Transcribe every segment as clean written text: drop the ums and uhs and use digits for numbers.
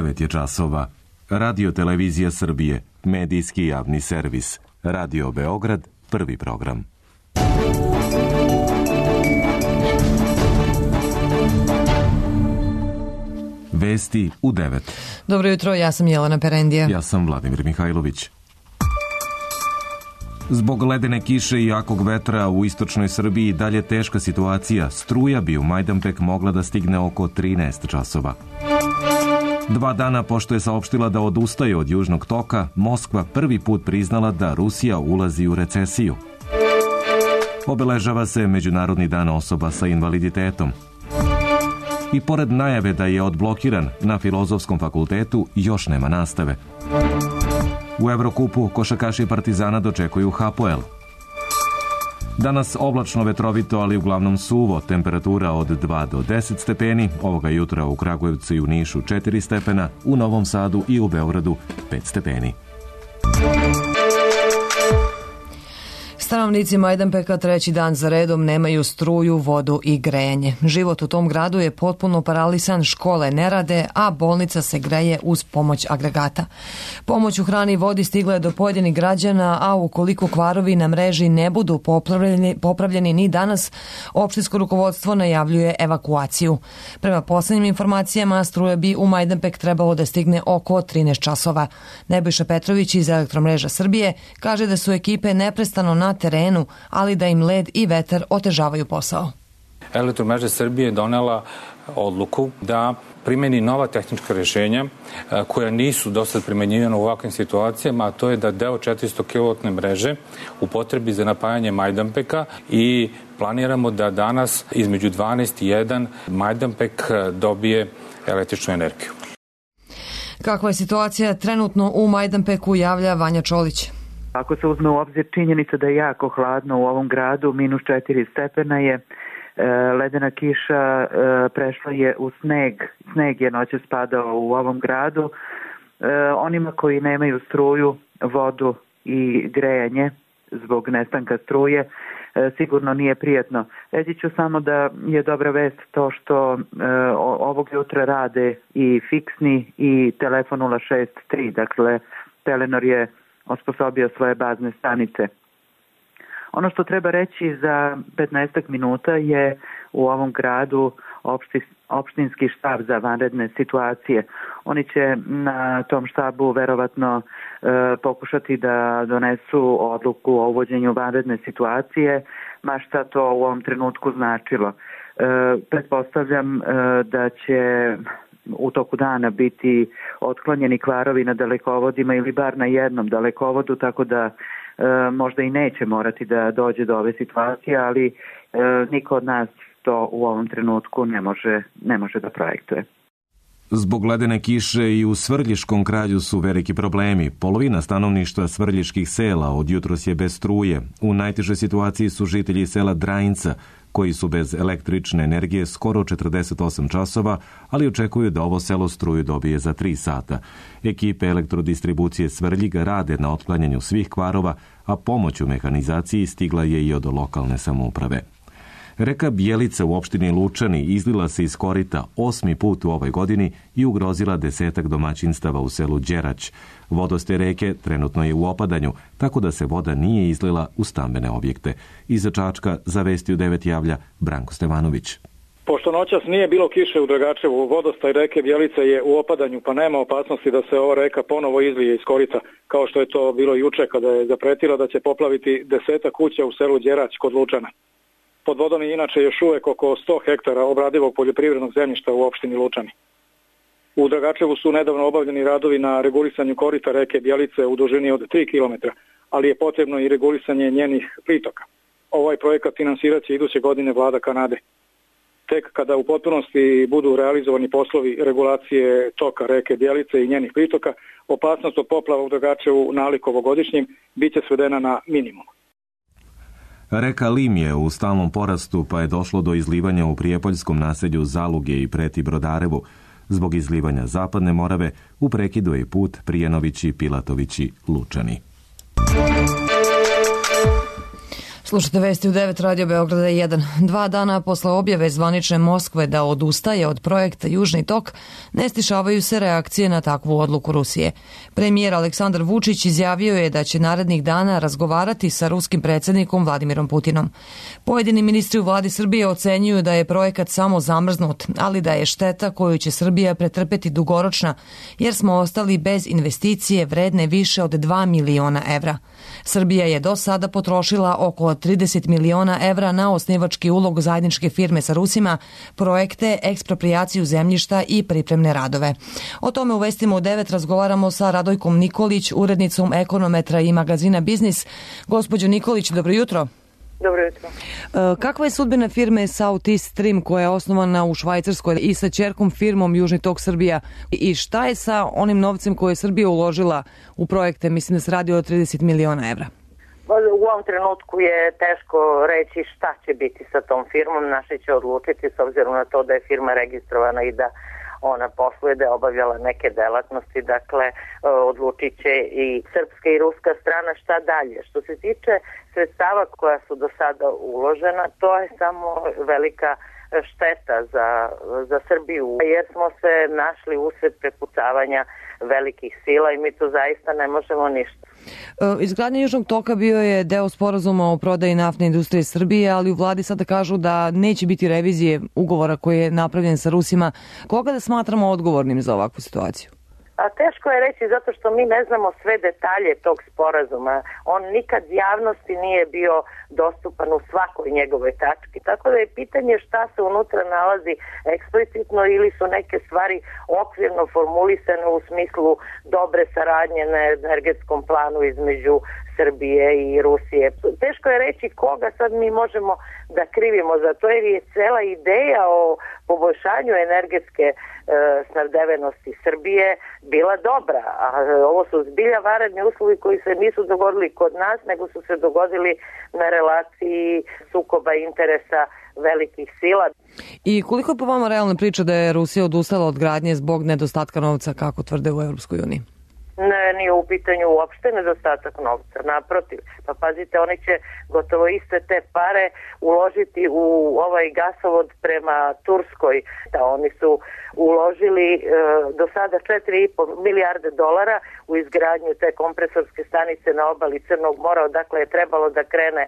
9 je časova. Radio Televizija Srbije, medijski javni servis. Radio Beograd, prvi program. Vesti u 9. Dobro jutro, ja sam Jelena Perendija. Ja sam Vladimir Mihajlović. Zbog ledene kiše i jakog vetra u istočnoj Srbiji dalje teška situacija. Struja bi u Majdanpek mogla da stigne oko 13 časova. 2 dana pošto je saopštila da odustaje od Južnog toka, Moskva prvi put priznala da Rusija ulazi u recesiju. Obeležava se Međunarodni dan osoba sa invaliditetom. I pored najave da je odblokiran na Filozofskom fakultetu, još nema nastave. U Evrokupu košarkaši Partizana dočekuju Hapoel. Danas oblačno, vetrovito, ali uglavnom suvo, temperatura od 2 do 10 stepeni, ovoga jutra u Kragujevcu i u Nišu 4 stepena, u Novom Sadu i u Beogradu 5 stepeni. Stanovnici Majdanpeka treći dan za redom nemaju struju, vodu i grejanje. Život u tom gradu je potpuno paralisan, škole ne rade, a bolnica se greje uz pomoć agregata. Pomoć u hrani i vodi stigla je do pojedinih građana, a ukoliko kvarovi na mreži ne budu popravljeni ni danas, opštinsko rukovodstvo najavljuje evakuaciju. Prema poslednjim informacijama, struja bi u Majdanpek trebalo da stigne oko 13 časova. Nebojša Petrović iz Elektromreža Srbije kaže da su ekipe neprestano na terenu, ali da im led i vetar otežavaju posao. Elektromreža Srbije je donela odluku da primeni nova tehnička rješenja koja nisu dosad primenjivana u ovakvim situacijama, a to je da deo 400 kV mreže upotrebi za napajanje Majdanpeka i planiramo da danas između 12 i 1 Majdanpek dobije električnu energiju. Kakva je situacija trenutno u Majdanpeku, javlja Vanja Čolić. Ako se uzme u obzir činjenica da je jako hladno u ovom gradu, minus 4 stepena je, ledena kiša prešla je u sneg. Sneg je noće spadao u ovom gradu. Onima koji nemaju struju, vodu i grejanje zbog nestanka struje, sigurno nije prijatno. Reći ću samo da je dobra vest to što ovog jutra rade i fiksni i telefon 063, dakle Telenor je osposobio svoje bazne stanice. Ono što treba reći za 15 minuta je u ovom gradu opštinski štab za vanredne situacije. Oni će na tom štabu verovatno pokušati da donesu odluku o uvođenju vanredne situacije, ma šta to u ovom trenutku značilo. Pretpostavljam da će u toku dana biti otklonjeni kvarovi na dalekovodima ili bar na jednom dalekovodu, tako da možda i neće morati da dođe do ove situacije, ali niko od nas to u ovom trenutku ne može da projektuje. Zbog ledene kiše i u Svrljiškom kraju su veliki problemi. Polovina stanovništva svrljiških sela od jutros je bez struje. U najtežoj situaciji su žitelji sela Drajinca, koji su bez električne energije skoro 48 časova, ali očekuju da ovo selo struju dobije za 3 sata. Ekipe elektrodistribucije Svrljiga rade na otklanjanju svih kvarova, a pomoć u mehanizaciji stigla je i od lokalne samouprave. Reka Bjelica u opštini Lučani izlila se iz korita 8. put u ovoj godini i ugrozila 10 domaćinstava u selu Đerać. Vodoste reke trenutno je u opadanju, tako da se voda nije izlila u stambene objekte. Iza Čačka za Vesti u 9 javlja Branko Stevanović. Pošto noćas nije bilo kiše u Dragačevu, vodostaj reke Bjelica je u opadanju, pa nema opasnosti da se ova reka ponovo izlije iz korita, kao što je to bilo juče kada je zapretila da će poplaviti 10 kuća u selu Đerać kod Lučana. Pod vodom je inače još uvek oko 100 hektara obradivog poljoprivrednog zemljišta u opštini Lučani. U Dragačevu su nedavno obavljeni radovi na regulisanju korita reke Bjelice u dužini od 3 km, ali je potrebno i regulisanje njenih pritoka. Ovaj projekat finansiraće iduće godine vlada Kanade. Tek kada u potpunosti budu realizovani poslovi regulacije toka reke Bjelice i njenih pritoka, opasnost od poplava u Dragačevu nalik ovogodišnjim biće svedena na minimum. Reka Lim je u stalnom porastu, pa je došlo do izlivanja u prijepoljskom naselju Zaluge i Preti Brodarevu. Zbog izlivanja Zapadne Morave u prekidu je put Prijenovići, Pilatovići, Lučani. Slušajte vesti u 9 Radio Beograda 1. 2 dana posle objave zvanične Moskve da odustaje od projekta Južni tok, ne stišavaju se reakcije na takvu odluku Rusije. Premijer Aleksandar Vučić izjavio je da će narednih dana razgovarati sa ruskim predsjednikom Vladimirom Putinom. Pojedini ministri u vladi Srbije ocenjuju da je projekat samo zamrznut, ali da je šteta koju će Srbija pretrpeti dugoročna, jer smo ostali bez investicije vredne više od 2 miliona evra. Srbija je do sada potrošila oko 30 miliona evra na osnivački ulog zajedničke firme sa Rusima, projekte, eksproprijaciju zemljišta i pripremne radove. O tome u vestima u 9 razgovaramo sa Radojkom Nikolić, urednicom Ekonometra i magazina Biznis. Gospođo Nikolić, dobro jutro. Dobro jutro. Kakva je sudbina firme South East Stream koja je osnovana u Švajcarskoj i sa ćerkom firmom Južni tok Srbija i šta je sa onim novcem koje je Srbija uložila u projekte, mislim da se radi o 30 miliona evra? U ovom trenutku je teško reći šta će biti sa tom firmom. Naši će odlučiti s obzirom na to da je firma registrovana i da ona posluje, da je obavljala neke delatnosti, dakle odlučit će i srpska i ruska strana šta dalje. Što se tiče sredstava koja su do sada uložena, to je samo velika šteta za Srbiju, jer smo se našli usred prepucavanja velikih sila i mi tu zaista ne možemo ništa. Izgradnja Južnog toka bio je deo sporazuma o prodaji naftne industrije Srbije, ali u vladi sada kažu da neće biti revizije ugovora koji je napravljen sa Rusima. Koga da smatramo odgovornim za ovakvu situaciju? A teško je reći zato što mi ne znamo sve detalje tog sporazuma. On nikad javnosti nije bio dostupan u svakoj njegovoj tački. Tako da je pitanje šta se unutra nalazi eksplicitno ili su neke stvari okvirno formulisane u smislu dobre saradnje na energetskom planu između Srbije i Rusije. Teško je reći koga sad mi možemo da krivimo za to, jer je cela ideja o poboljšanju energetske snabdevenosti Srbije bila dobra, a ovo su zbilja vanredni uslovi koji se nisu dogodili kod nas, nego su se dogodili na relaciji sukoba interesa velikih sila. I koliko je po vama realna priča da je Rusija odustala od gradnje zbog nedostatka novca, kako tvrde u Evropskoj uniji? Ne, nije u pitanju uopšte nedostatak novca, naprotiv. Pa pazite, oni će gotovo iste te pare uložiti u ovaj gasovod prema Turskoj. Da, oni su uložili do sada 4,5 milijarde dolara u izgradnju te kompresorske stanice na obali Crnog mora, odakle je trebalo da krene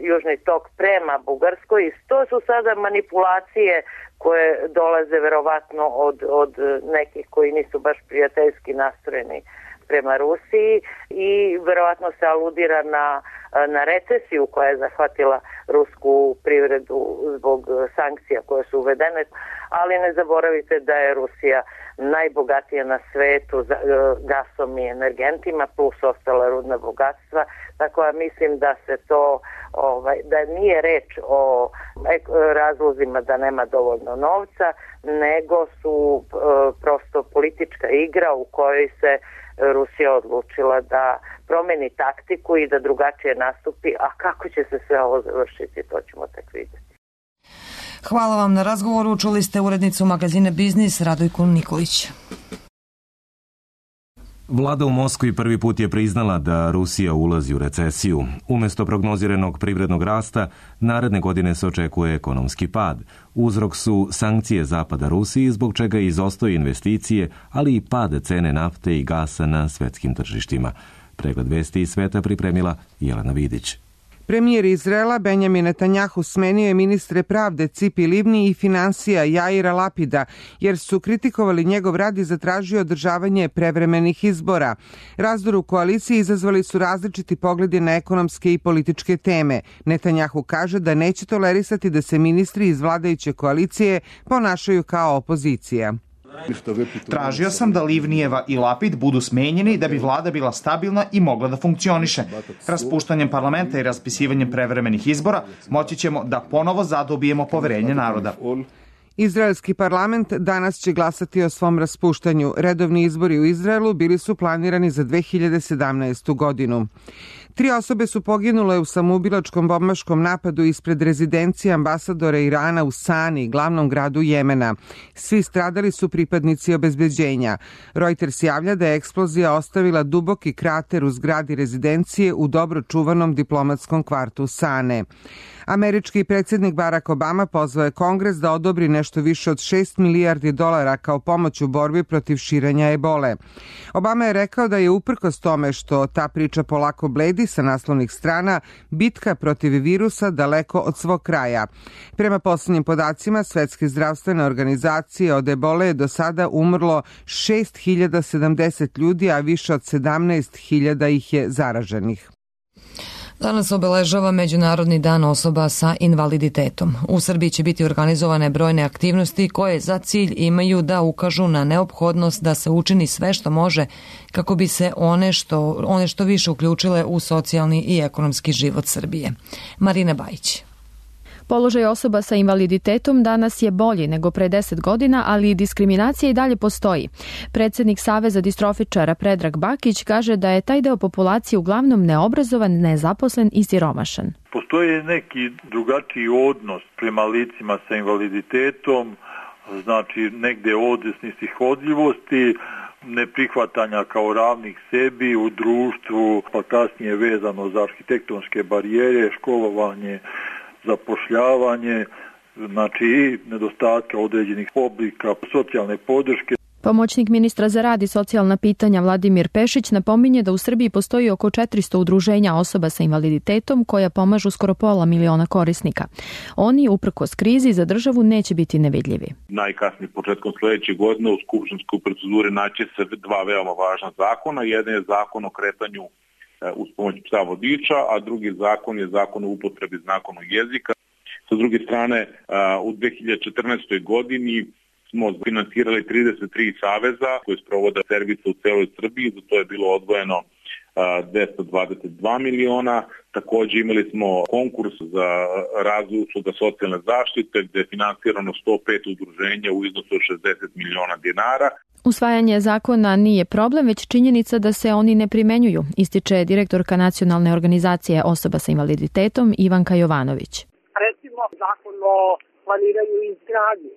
Južni tok prema Bugarskoj. I to su sada manipulacije koje dolaze verovatno od nekih koji nisu baš prijateljski nastrojeni prema Rusiji i verovatno se aludira na recesiju koja je zahvatila rusku privredu zbog sankcija koje su uvedene, ali ne zaboravite da je Rusija najbogatija na svetu gasom i energentima plus ostala rudna bogatstva, tako da mislim da se to da nije reč o razlozima da nema dovoljno novca, nego su prosto politička igra u kojoj se Rusija odlučila da promeni taktiku i da drugačije nastupi, a kako će se sve ovo završiti, to ćemo tek vidjeti. Hvala vam na razgovoru. Čuli ste urednicu magazina Biznis Radojku Nikolić. Vlada u Moskvi prvi put je priznala da Rusija ulazi u recesiju. Umesto prognoziranog privrednog rasta, naredne godine se očekuje ekonomski pad. Uzrok su sankcije Zapada Rusiji, zbog čega izostaju investicije, ali i pad cene nafte i gasa na svetskim tržištima. Pregled vesti iz sveta pripremila Jelena Vidić. Premijer Izraela Benjamin Netanjahu smenio je ministre pravde Cipi Livni i finansija Jaira Lapida, jer su kritikovali njegov rad i zatražio održavanje prevremenih izbora. Razdor u koaliciji izazvali su različiti pogledi na ekonomske i političke teme. Netanjahu kaže da neće tolerisati da se ministri iz vladajuće koalicije ponašaju kao opozicija. Tražio sam da Livnijeva i Lapid budu smenjeni da bi vlada bila stabilna i mogla da funkcioniše. Raspuštanjem parlamenta i raspisivanjem prevremenih izbora moći ćemo da ponovo zadobijemo poverenje naroda. Izraelski parlament danas će glasati o svom raspuštanju. Redovni izbori u Izraelu bili su planirani za 2017. godinu. 3 osobe su poginule u samoubilačkom bombaškom napadu ispred rezidencije ambasadora Irana u Sani, glavnom gradu Jemena. Svi stradali su pripadnici obezbeđenja. Reuters javlja da je eksplozija ostavila duboki krater u zgradi rezidencije u dobro čuvanom diplomatskom kvartu Sane. Američki predsjednik Barack Obama pozvao je Kongres da odobri nešto više od $6 milijardi kao pomoć u borbi protiv širenja ebole. Obama je rekao da je uprkos tome što ta priča polako bledi sa naslovnih strana, bitka protiv virusa daleko od svog kraja. Prema posljednjim podacima Svetske zdravstvene organizacije od ebole je do sada umrlo 6.070 ljudi, a više od 17.000 ih je zaraženih. Danas obeležava Međunarodni dan osoba sa invaliditetom. U Srbiji će biti organizovane brojne aktivnosti koje za cilj imaju da ukažu na neophodnost da se učini sve što može kako bi se one što više uključile u socijalni i ekonomski život Srbije. Marina Bajić. Položaj osoba sa invaliditetom danas je bolji nego pre 10 godina, ali i diskriminacija i dalje postoji. Predsjednik Saveza distrofičara Predrag Bakić kaže da je taj deo populacije uglavnom neobrazovan, nezaposlen i siromašan. Postoji neki drugačiji odnos prema licima sa invaliditetom, znači negde odesnih odljivosti, neprihvatanja kao ravnih sebi u društvu, pa kasnije vezano za arhitektonske barijere, školovanje, zapošljavanje, znači i nedostatka određenih oblika socijalne podrške. Pomoćnik ministra za rad i socijalna pitanja Vladimir Pešić napominje da u Srbiji postoji oko 400 udruženja osoba sa invaliditetom koja pomažu skoro 500.000 korisnika. Oni, uprkos krizi, za državu neće biti nevidljivi. Najkasnije početkom sljedeće godine u skupštinskoj proceduri naći se 2 veoma važna zakona. Jedan je zakon o kretanju uz pomoć psa vodiča, a drugi zakon je zakon o upotrebi znakovnog jezika. Sa druge strane, u 2014. godini smo finansirali 33 saveza koji sprovode servise u celoj Srbiji, za to je bilo odvojeno 222 miliona. Također imali smo konkurs za razvoj usluga socijalne zaštite gdje je finansirano 105 udruženja u iznosu od 60 miliona dinara. Usvajanje zakona nije problem, već činjenica da se oni ne primenjuju, ističe direktorka Nacionalne organizacije osoba sa invaliditetom Ivanka Jovanović. Recimo, zakon o planiranju i izgradnji,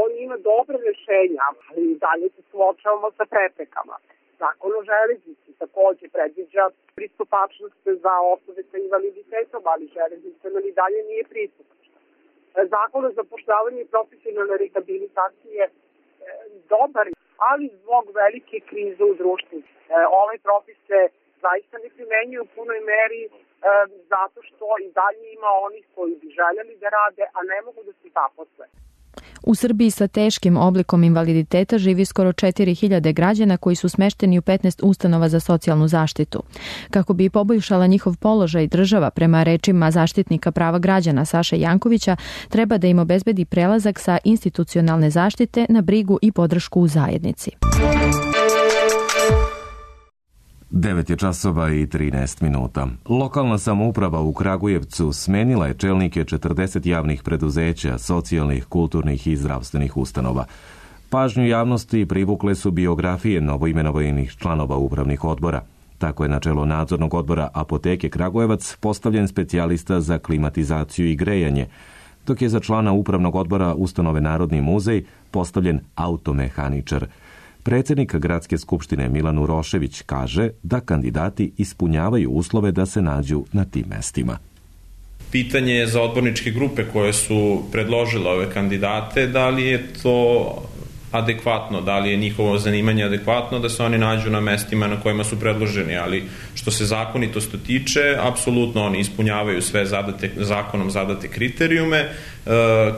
on ima dobre rješenja, ali i dalje se suočavamo sa preprekama. Zakon o železnici također predviđa pristupačnost za osobe sa invaliditetom, ali železnica nam i dalje nije pristupačna. Zakon o zapošljavanju i profesionalnoj rehabilitaciji je dobar, ali zbog velike krize u društvu. Ovaj propis se zaista ne primenjuje u punoj meri zato što i dalje ima onih koji bi željeli da rade, a ne mogu da se zaposle. U Srbiji sa teškim oblikom invaliditeta živi skoro 4.000 građana koji su smešteni u 15 ustanova za socijalnu zaštitu. Kako bi poboljšala njihov položaj, država, prema rečima zaštitnika prava građana Saše Jankovića, treba da im obezbedi prelazak sa institucionalne zaštite na brigu i podršku u zajednici. 9:13. Lokalna samouprava u Kragujevcu smenila je čelnike 40 javnih preduzeća, socijalnih, kulturnih i zdravstvenih ustanova. Pažnju javnosti privukle su biografije novoimenovanih članova upravnih odbora. Tako je na čelo nadzornog odbora Apoteke Kragujevac postavljen specijalista za klimatizaciju i grejanje, dok je za člana upravnog odbora ustanove Narodni muzej postavljen automehaničar. Predsjednik Gradske skupštine Milan Urošević kaže da kandidati ispunjavaju uslove da se nađu na tim mestima. Pitanje je za odborničke grupe koje su predložile ove kandidate, da li je to adekvatno, da li je njihovo zanimanje adekvatno da se oni nađu na mestima na kojima su predloženi, ali što se zakonitosti tiče, apsolutno oni ispunjavaju sve zakonom zadate kriterijume.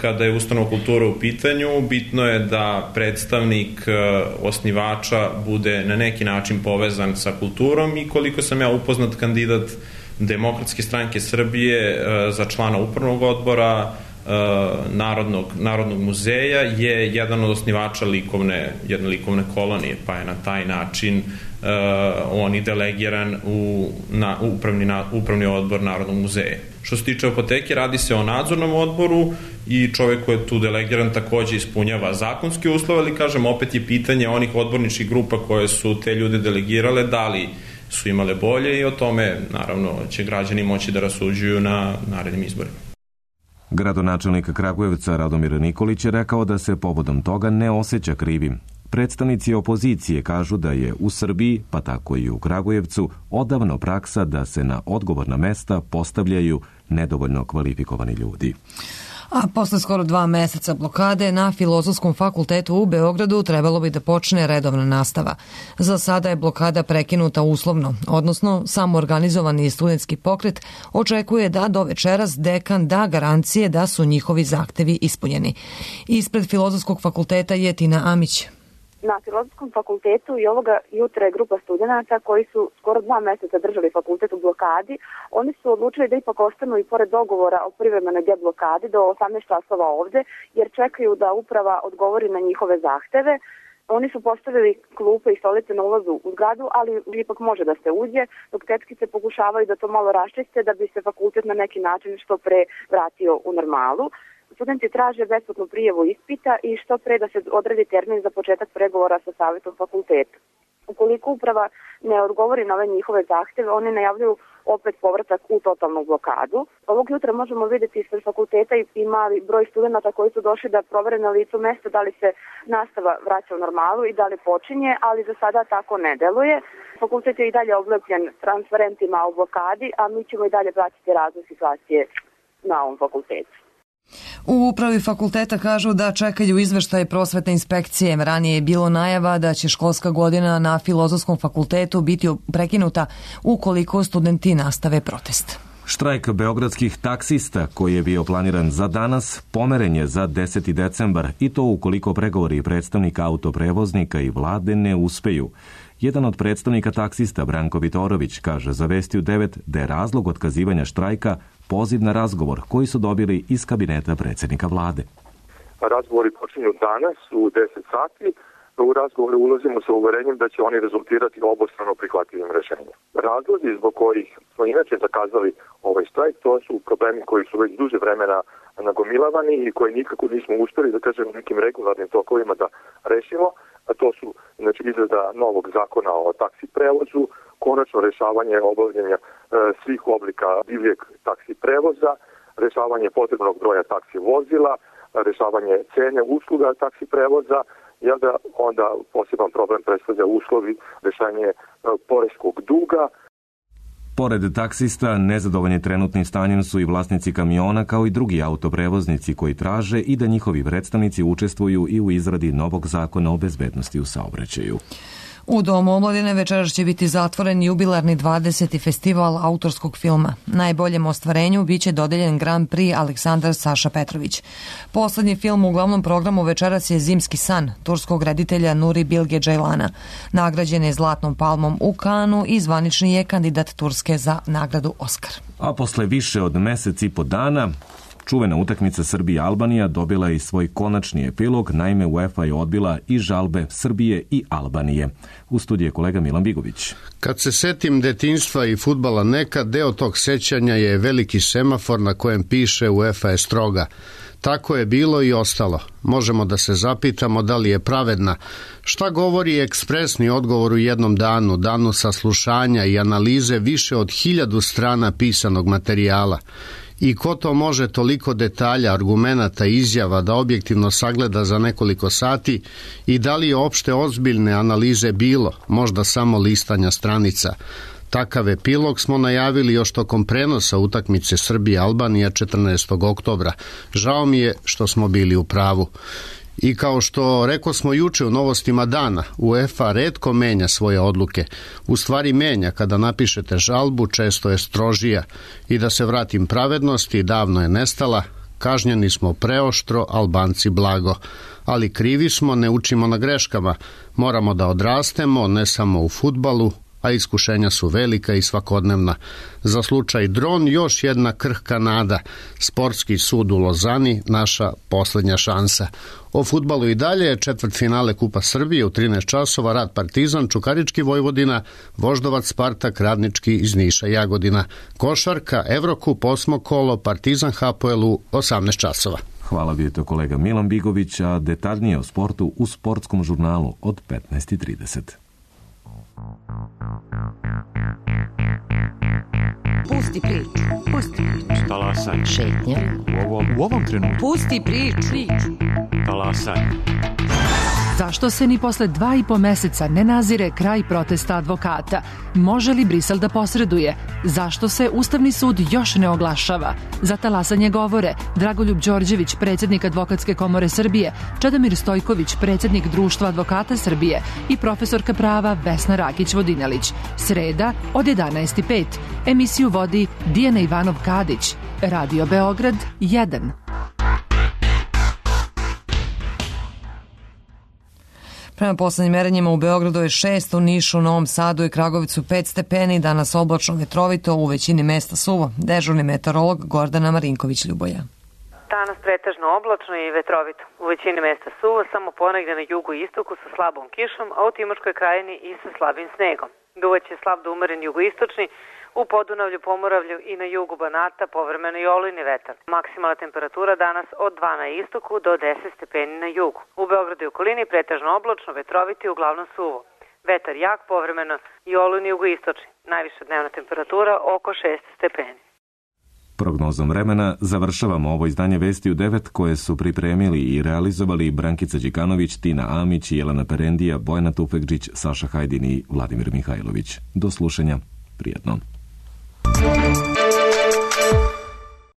Kada je ustanova kulture u pitanju, bitno je da predstavnik osnivača bude na neki način povezan sa kulturom i koliko sam ja upoznat, kandidat Demokratske stranke Srbije za člana upravnog odbora Narodnog muzeja je jedan od osnivača jedne likovne kolonije, pa je na taj način on i delegiran upravni odbor Narodnog muzeja. Što se tiče apoteke, radi se o nadzornom odboru i čovek koji je tu delegiran takođe ispunjava zakonski uslov, ali kažem, opet je pitanje onih odborničkih grupa koje su te ljude delegirale, da li su imale bolje i o tome, naravno, će građani moći da rasuđuju na narednim izborima. Gradonačelnik Kragujevca Radomir Nikolić je rekao da se povodom toga ne osjeća krivim. Predstavnici opozicije kažu da je u Srbiji, pa tako i u Kragujevcu, odavno praksa da se na odgovorna mesta postavljaju nedovoljno kvalifikovani ljudi. A posle skoro 2 meseca blokade na Filozofskom fakultetu u Beogradu trebalo bi da počne redovna nastava. Za sada je blokada prekinuta uslovno, odnosno samoorganizovani studentski pokret očekuje da do večeras dekan da garancije da su njihovi zahtevi ispunjeni. Ispred Filozofskog fakulteta je Tina Amić. Na Filozofskom fakultetu i ovoga jutra je grupa studenta koji su skoro 2 meseca držali fakultet u blokadi. Oni su odlučili da ipak ostanu i pored dogovora o privremenoj deblokadi do 18 časova ovde, jer čekaju da uprava odgovori na njihove zahteve. Oni su postavili klupe i stolice na ulazu u zgradu, ali ipak može da se uđe, dok tetkice pokušavaju da to malo raščiste da bi se fakultet na neki način što pre vratio u normalu. Studenti traže besplatnu prijavu ispita i što pre da se odredi termin za početak pregovora sa savjetom fakulteta. Ukoliko uprava ne odgovori na ove njihove zahteve, oni najavljuju opet povratak u totalnu blokadu. Ovog jutra možemo vidjeti ispred fakulteta i mali broj studenta koji su došli da provere na licu mesta da li se nastava vraća u normalu i da li počinje, ali za sada tako ne deluje. Fakultet je i dalje oblepljen transparentima o blokadi, a mi ćemo i dalje pratiti razvoj situacije na ovom fakultetu. U upravi fakulteta kažu da čekaju izveštaj prosvetne inspekcije. Ranije je bilo najava da će školska godina na Filozofskom fakultetu biti prekinuta ukoliko studenti nastave protest. Štrajk beogradskih taksista, koji je bio planiran za danas, pomeren je za 10. decembar i to ukoliko pregovori predstavnika autoprevoznika i vlade ne uspeju. Jedan od predstavnika taksista, Branko Vitorović, kaže za Vesti u 9 da je razlog otkazivanja štrajka poziv na razgovor koji su dobili iz kabineta predsjednika vlade. Razgovori počinju danas u 10 sati. U razgovore ulazimo sa uverenjem da će oni rezultirati obostrano prihvatljivim rešenjem. Razlozi zbog kojih smo inače zakazali ovaj štrajk, to su problemi koji su već duže vremena nagomilavani i koji nikako nismo uspeli, da kažem, nekim regularnim tokovima da rešimo. A to su izrada novog zakona o taksi prevozu, konačno rešavanje obavljanja svih oblika divljeg taksi prevoza, rešavanje potrebnog broja taksi vozila, rešavanje cene usluga taksi prevoza, jer da onda poseban problem predstavlja uslovi rešanje poreskog duga. Pored taksista, nezadovoljni trenutnim stanjem su i vlasnici kamiona kao i drugi autoprevoznici koji traže i da njihovi predstavnici učestvuju i u izradi novog zakona o bezbednosti u saobraćaju. U Domu omladine večeras će biti zatvoren jubilarni 20. festival autorskog filma. Najboljem ostvarenju biće dodeljen Grand Prix Aleksandar Saša Petrović. Poslednji film u glavnom programu večeras je Zimski san, turskog reditelja Nuri Bilge Ceylan'a. Nagrađen je Zlatnom palmom u Kanu i zvanični je kandidat Turske za nagradu Oskar. A posle više od mesec i po dana, čuvena utakmica Srbija-Albanija dobila je i svoj konačni epilog, naime UEFA je odbila i žalbe Srbije i Albanije. U studiju je kolega Milan Bigović. Kad se setim detinjstva i fudbala nekad, deo tog sećanja je veliki semafor na kojem piše UEFA je stroga. Tako je bilo i ostalo. Možemo da se zapitamo da li je pravedna. Šta govori ekspresni odgovor u jednom danu, danu saslušanja i analize više od 1000 strana pisanog materijala? I ko to može toliko detalja, argumenata, izjava da objektivno sagleda za nekoliko sati i da li je opšte ozbiljne analize bilo, možda samo listanja stranica? Takav epilog smo najavili još tokom prenosa utakmice Srbija-Albanija 14. oktobra. Žao mi je što smo bili u pravu. I kao što rekao smo juče u novostima dana, UEFA retko menja svoje odluke. U stvari menja kada napišete žalbu, često je strožija. I da se vratim pravednosti, davno je nestala, kažnjeni smo preoštro, Albanci blago. Ali krivi smo, ne učimo na greškama. Moramo da odrastemo, ne samo u fudbalu, a iskušenja su velika i svakodnevna. Za slučaj dron još jedna krhka nada. Sportski sud u Lozani, naša poslednja šansa. O fudbalu i dalje, četvrtfinale Kupa Srbije u 13 časova, Rad Partizan, Čukarički Vojvodina, Voždovac Spartak, Radnički iz Niša Jagodina. Košarka, Evrokup, 8. kolo, Partizan Hapoel u 18 časova. Hvala, bio je to kolega Milan Bigović, a detaljnije o sportu u sportskom žurnalu od 15:30. Pusti priču. Pusti priču. Talasaj. Šetnja. U ovom trenutku. Pusti priču. Talasaj. Zašto se ni posle 2,5 meseca ne nazire kraj protesta advokata? Može li Brisel da posreduje? Zašto se Ustavni sud još ne oglašava? Za talasanje govore Dragoljub Đorđević, predsjednik Advokatske komore Srbije, Čedomir Stojković, predsjednik Društva advokata Srbije i profesorka prava Vesna Rakić-Vodinelić. Sreda od 11:05. Emisiju vodi Dijana Ivanov-Kadić. Radio Beograd 1. Prema poslednjim merenjima u Beogradu je 6, u Nišu, Novom Sadu i Kragovicu 5 stepeni, danas oblačno vetrovito, u većini mesta suvo. Dežurni meteorolog Gordana Marinković-Ljuboja. Danas pretežno oblačno i vetrovito. U većini mesta suvo, samo ponegde na jugu i istoku sa slabom kišom, a u Timočkoj krajini i sa slabim snegom. Duvaće slab do umeren jugoistočni, u Podunavlju, Pomoravlju i na jugu Banata povremeno i olujni vetar. Maksimalna temperatura danas od 2 na istoku do 10 stepeni na jugu. U Beogradu i okolini pretežno oblačno, vetrovito i uglavnom suvo. Vetar jak, povremeno i olujni jugoistočni. Najviša dnevna temperatura oko 6 stepeni. Prognozom vremena završavamo ovo izdanje Vesti u 9 koje su pripremili i realizovali Brankica Đikanović, Tina Amić, Jelena Perendija, Bojana Tufekđić, Saša Hajdin i Vladimir Mihajlović. Do slušanja. Prijetno.